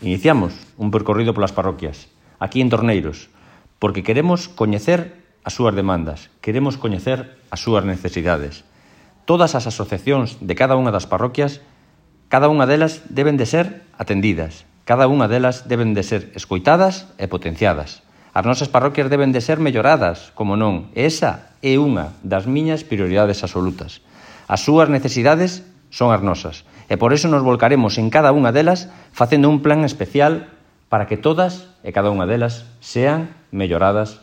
iniciamos un percorrido polas parroquias, aquí en Torneiros, porque queremos coñecer as súas demandas, queremos coñecer as súas necesidades. Todas as asociacións de cada unha das parroquias, cada unha delas deben de ser atendidas, cada unha delas deben de ser escoitadas e potenciadas. As nosas parroquias deben de ser melloradas, como non, e esa é unha das miñas prioridades absolutas. As súas necesidades son as nosas, e por iso nos volcaremos en cada unha delas facendo un plan especial para que todas e cada unha delas sean melloradas